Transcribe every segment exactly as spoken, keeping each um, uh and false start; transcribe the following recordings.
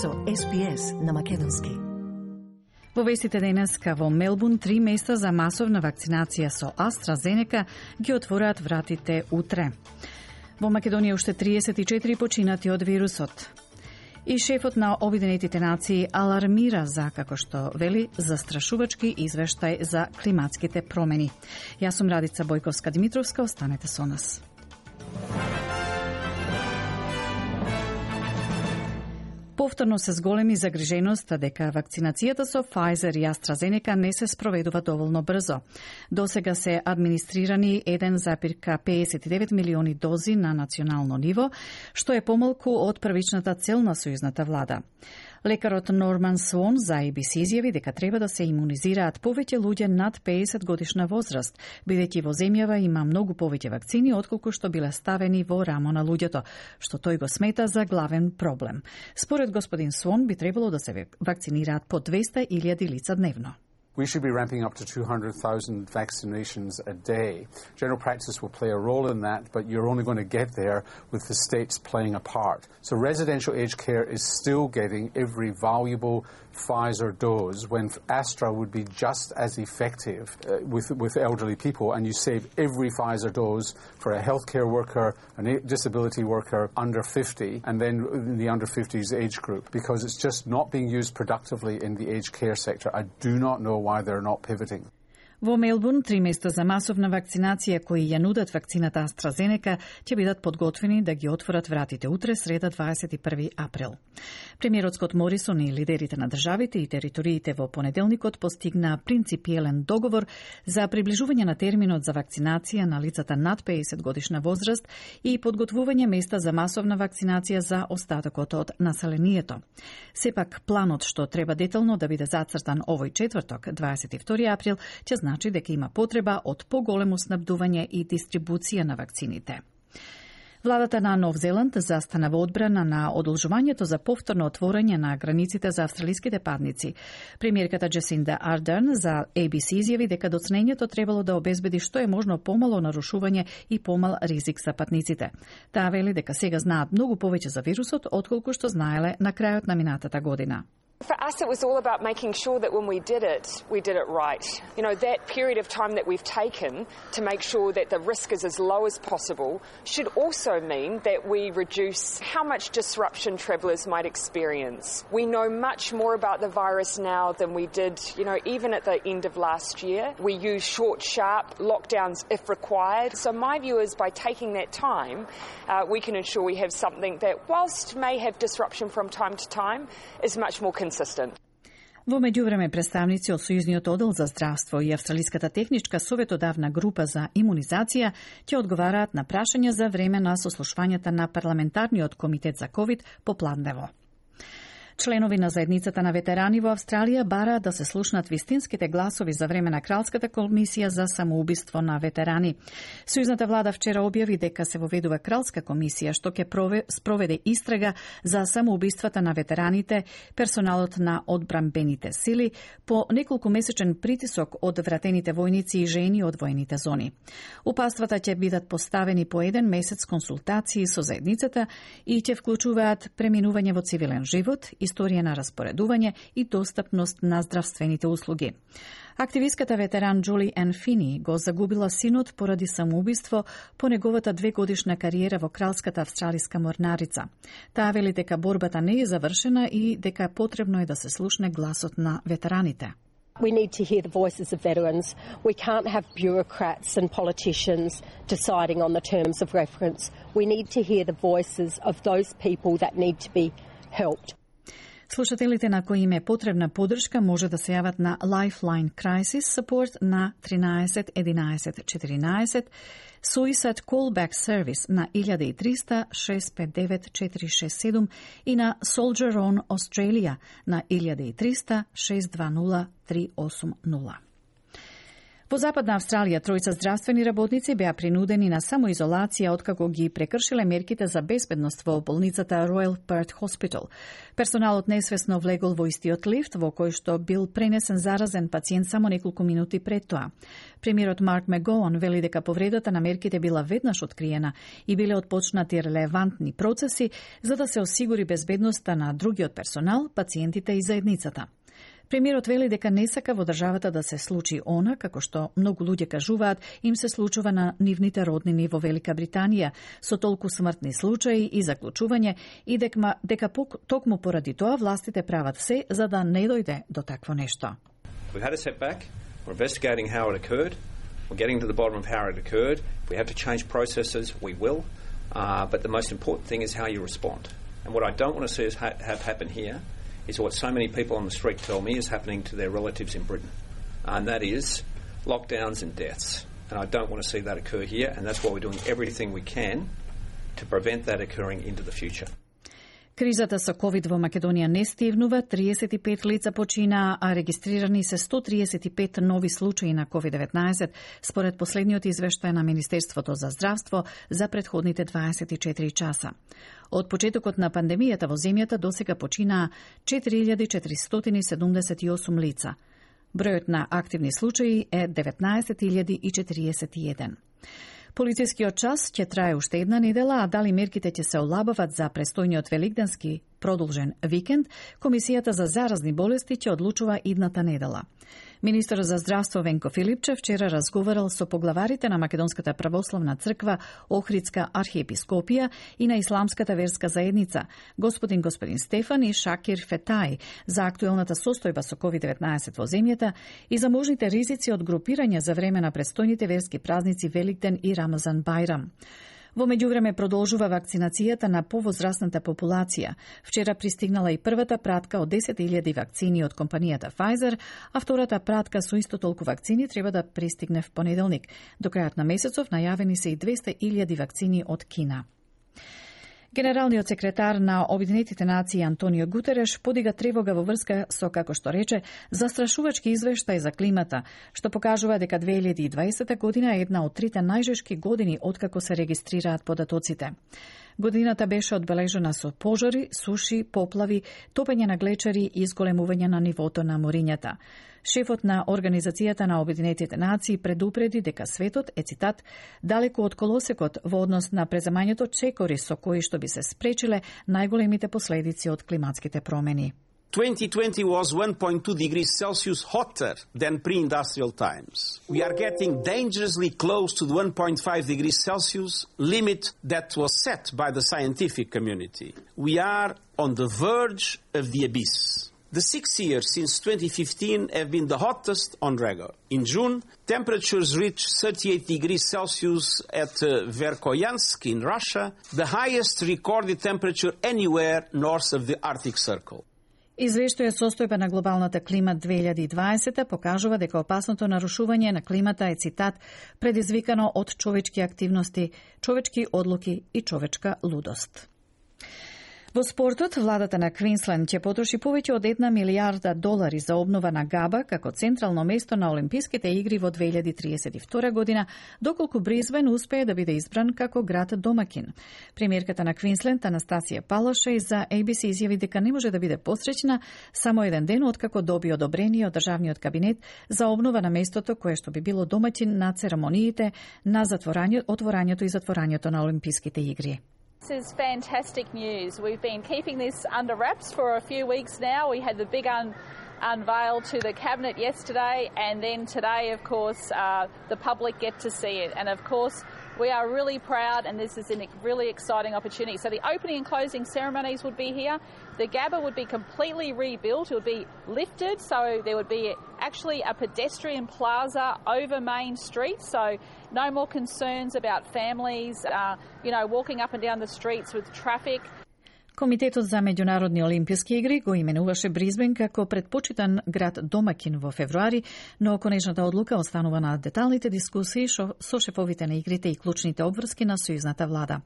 со Ес Би Ес на македонски. Во вестите денеска во Мелбурн три места за масовна вакцинација со AstraZeneca ги отвораат вратите утре. Во Македонија уште триесет и четири починати од вирусот. И шефот на Обединетите нации алармира за, како што вели, застрашувачки извештај за климатските промени. Јас сум Радица Бојковска-Димитровска, останете со нас. Повторно се зголеми загриженоста дека вакцинацијата со Pfizer и AstraZeneca не се спроведува доволно брзо. Досега се администрирани еден запирка педесет и девет милиони дози на национално ниво, што е помалку од првичната цел на сојузната влада. Лекарот Норман Свон за Ей Би Си изјави дека треба да се имунизираат повеќе луѓе над педесет годишна возраст, бидејќи во земјава има многу повеќе вакцини отколку што биле ставени во рамо на луѓето, што тој го смета за главен проблем. Според господин Свон би требало да се вакцинираат по двеста илјади лица дневно. We should be ramping up to two hundred thousand vaccinations a day. General practice will play a role in that, but you're only going to get there with the states playing a part. So residential aged care is still getting every valuable Pfizer dose when Astra would be just as effective uh, with, with elderly people, and you save every Pfizer dose for a healthcare worker, a disability worker under fifty, and then in the under fifties age group, because it's just not being used productively in the aged care sector. I do not know why they're not pivoting. Во Мелбурн, три места за масовна вакцинација кои ја нудат вакцината AstraZeneca ќе бидат подготвени да ги отворат вратите утре, среда дваесет и први април. Премиерот Скот Морисон и лидерите на државите и териториите во понеделникот постигнаа принципиелен договор за приближување на терминот за вакцинација на лицата над педесет годишна возраст и подготвување места за масовна вакцинација за остатокот од населението. Сепак, планот што треба детално да биде зацртан овој четврток, дваесет и втори април, ќе значи дека има потреба од поголемо снабдување и дистрибуција на вакцините. Владата на Нов Зеланд застана во одбрана на одолжувањето за повторно отворање на границите за австралиските патници. Премиерката Джесинда Ардерн за Ей Би Си изјави дека доцнењето требало да обезбеди што е можно помало нарушување и помал ризик за патниците. Таа вели дека сега знаат многу повеќе за вирусот отколку што знаеле на крајот на минатата година. For us, it was all about making sure that when we did it, we did it right. You know, that period of time that we've taken to make sure that the risk is as low as possible should also mean that we reduce how much disruption travellers might experience. We know much more about the virus now than we did, you know, even at the end of last year. We use short, sharp lockdowns if required. So my view is by taking that time, uh, we can ensure we have something that, whilst may have disruption from time to time, is much more consistent. Во меѓувреме, представници од Сојузниот оддел за здравство и Австралиската техничка советодавна група за имунизација ќе одговараат на прашања за време на сослушвањата на парламентарниот комитет за ковид попладнево. Членови на заедницата на ветерани во Австралија бараат да се слушнат вистинските гласови за време на Кралската комисија за самоубиство на ветерани. Сојузната влада вчера објави дека се воведува Кралска комисија што ќе спроведе истрага за самоубиствата на ветераните, персоналот на одбранбените сили, по неколку месечен притисок од вратените војници и жени од воените зони. Упатствата ќе бидат поставени по еден месец консултации со заедницата и ќе вклучуваат преминување во цивилен живот, историја на распоредување и достапност на здравствените услуги. Активистката ветеран Джули Ен Фини го загубила синот поради самоубиство по неговата двегодишна кариера во Кралската австралиска морнарица. Таа вели дека борбата не е завршена и дека потребно е да се слушне гласот на ветераните. We need to hear the voices of veterans. We can't have bureaucrats and politicians deciding on the terms of reference. We need to hear the voices of those people that need to be helped. Слушателите на кои им е потребна поддршка може да се јават на Lifeline Crisis Support на тринаесет единаесет четиринаесет, Suicide Callback Service на илјада и триста шест пет девет четири шест седум и на Soldier On Australia на илјада и триста шест дванула три осум нула. Во Западна Австралија тројца здравствени работници беа принудени на самоизолација откако ги прекршиле мерките за безбедност во болницата Royal Perth Hospital. Персоналот несвесно влегол во истиот лифт во кој што бил пренесен заразен пациент само неколку минути пред тоа. Премиерот Марк Мегоан вели дека повредата на мерките била веднаш откриена и биле отпочнати релевантни процеси за да се осигури безбедноста на другиот персонал, пациентите и заедницата. Премиерот вели дека не сака во државата да се случи она, како што многу луѓе кажуваат, им се случува на нивните роднини во Велика Британија, со толку смртни случаи и заклучување, и дека, дека токму поради тоа властите прават се за да не дојде до такво нешто. We've had a setback. We're investigating how it occurred. We're getting to the bottom of how it occurred. If we have to change processes, we will. Uh, but the most important thing is how you respond. And what I don't want to see is ha- have happen here is what so many people on the street tell me is happening to their relatives in Britain. And that is lockdowns and deaths. And I don't want to see that occur here, and that's why we're doing everything we can to prevent that occurring into the future. Кризата со ковид во Македонија не стивнува, триесет и пет лица починаа, а регистрирани се сто триесет и пет нови случаи на ковид деветнаесет, според последниот извештај на Министерството за здравство за претходните дваесет и четири часа. Од почетокот на пандемијата во земјата досега починаа четири илјади четиристотини седумдесет и осум лица. Бројот на активни случаи е деветнаесет илјади и четириесет и еден. Полицискиот час ќе трае уште една недела, а дали мерките ќе се олабават за престојниот великденски продолжен викенд, Комисијата за заразни болести ќе одлучува идната недела. Министер за здравство Венко Филипче вчера разговарал со поглаварите на Македонската православна црква, Охридска архиепископија и на Исламската верска заедница, господин господин Стефан и Шакир Фетај, за актуелната состојба со ковид деветнаесет во земјата и за можните ризици од групирање за време на престојните верски празници Великден и Рамазан Бајрам. Во меѓувреме продолжува вакцинацијата на повозрасната популација. Вчера пристигнала и првата пратка од десет илјади вакцини од компанијата Pfizer, а втората пратка со исто толку вакцини треба да пристигне в понеделник. До крајот на месецов најавени се и двесте илјади вакцини од Кина. Генералниот секретар на Обединетите нации Антонио Гутереш подига тревога во врска со, како што рече, застрашувачки извештај за климата, што покажува дека две илјади и дваесета година е една од трите најжешки години откако се регистрираат податоците. Годината беше одбележена со пожари, суши, поплави, топење на глечари и изголемување на нивото на морињата. Шефот на Организацијата на Обединетите нации предупреди дека светот е, цитат, далеку од колосекот во однос на преземањето чекори со кои што би се спречиле најголемите последици од климатските промени. twenty twenty was one point two degrees Celsius hotter than pre-industrial times. We are getting dangerously close to the one point five degrees Celsius limit that was set by the scientific community. We are on the verge of the abyss. The six years since twenty fifteen have been the hottest on record. In June, temperatures reached thirty-eight degrees Celsius at uh, Verkhoyansk in Russia, the highest recorded temperature anywhere north of the Arctic Circle. Извештајот состојба на глобалната клима две илјади и дваесета покажува дека опасното нарушување на климата е, цитат, предизвикано од човечки активности, човечки одлуки и човечка лудост. Во спортот, владата на Квинсленд ќе потроши повеќе од една милијарда долари за обнова на Габа како централно место на Олимписките игри во две илјади триесет и втора година, доколку Брисбен успее да биде избран како град домакин. Премиерката на Квинсленд Анастасија Палашеј за А Б С изјави дека не може да биде посреќна само еден ден откако доби одобрение од државниот кабинет за обнова на местото кое што би било домакин на церемониите на затворањето, отворањето и затворањето на Олимписките игри. This is fantastic news. We've been keeping this under wraps for a few weeks now. We had the big un- unveil to the Cabinet yesterday, and then today, of course, uh, the public get to see it. And of course, we are really proud, and this is a really exciting opportunity. So the opening and closing ceremonies would be here. The Gabba would be completely rebuilt. It would be lifted, so there would be actually a pedestrian plaza over Main Street, so no more concerns about families, uh, you know, walking up and down the streets with traffic. Комитетот за меѓународни олимписки игри го именуваше Брисбен како предпочитан град домакин во февруари, но конечната одлука останува на деталните дискусии со шефовите на игрите и клучните обврски на сојузната влада.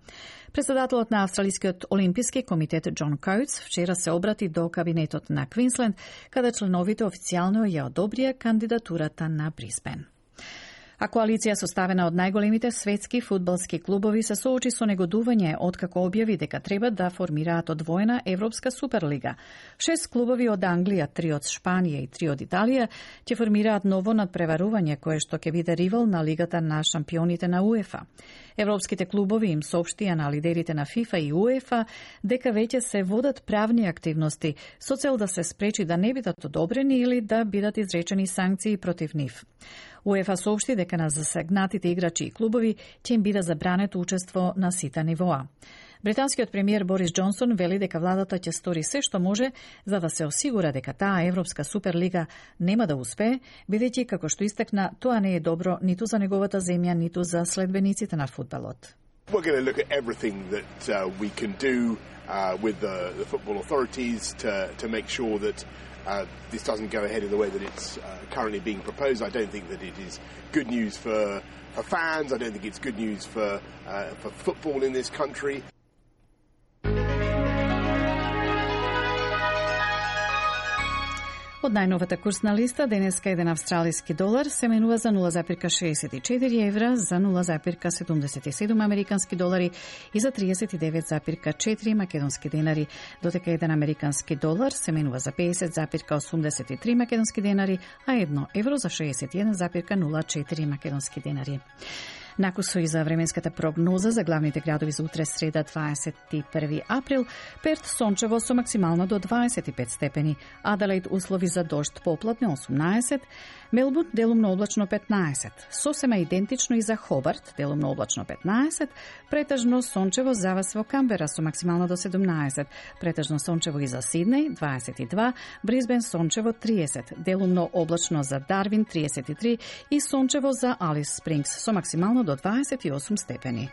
Председателот на Австралискиот олимписки комитет Џон Коутс вчера се обрати до кабинетот на Квинсленд, каде членовите официјално ја одобрија кандидатурата на Брисбен. А коалиција составена од најголемите светски фудбалски клубови се соочи со негодување откако објави дека треба да формираат одвоена Европска суперлига. Шест клубови од Англија, три од Шпанија и три од Италија ќе формираат ново надпреварување кое што ќе биде ривал на Лигата на шампионите на УЕФА. Европските клубови им соопштија на лидерите на ФИФА и УЕФА дека веќе се водат правни активности со цел да се спречи да не бидат одобрени или да бидат изречени санкции против нив. УЕФА соопшти дека на засегнатите играчи и клубови ќе им биде забрането учество на сите нивоа. Британскиот премиер Борис Џонсон вели дека владата ќе стори се што може за да се осигура дека таа Европска суперлига нема да успее, бидејќи, како што истакна, тоа не е добро ниту за неговата земја, ниту за следбениците на фудбалот. We're going to look at everything that uh, we can do uh, with the, the football authorities to, to make sure that uh, this doesn't go ahead in the way that it's uh, currently being proposed. I don't think that it is good news for, for fans. I don't think it's good news for, uh, for football in this country. Од најновата курсна листа, денеска еден австралиски долар се менува за нула запирка шеесет и четири евра, за нула запирка седумдесет и седум американски долари и за триесет и девет запирка четири македонски денари, додека еден американски долар се менува за педесет запирка осумдесет и три македонски денари, а едно евро за шеесет и еден запирка нула четири македонски денари. Накусо и за временската прогноза за главните градови за утре среда дваесет и први април, Перт сончево со максимално до дваесет и пет степени, Аделаид услови за дожд поплатни осумнаесет, Мелбурн делумно облачно петнаесет, сосема идентично и за Хобарт делумно облачно петнаесет, претежно сончево за вас во Камбера со максимално до седумнаесет, претежно сончево и за Сиднеј дваесет и два, Брисбен сончево триесет, делумно облачно за Дарвин триесет и три и сончево за Алис Спрингс со максимално до дваесет и осум степени.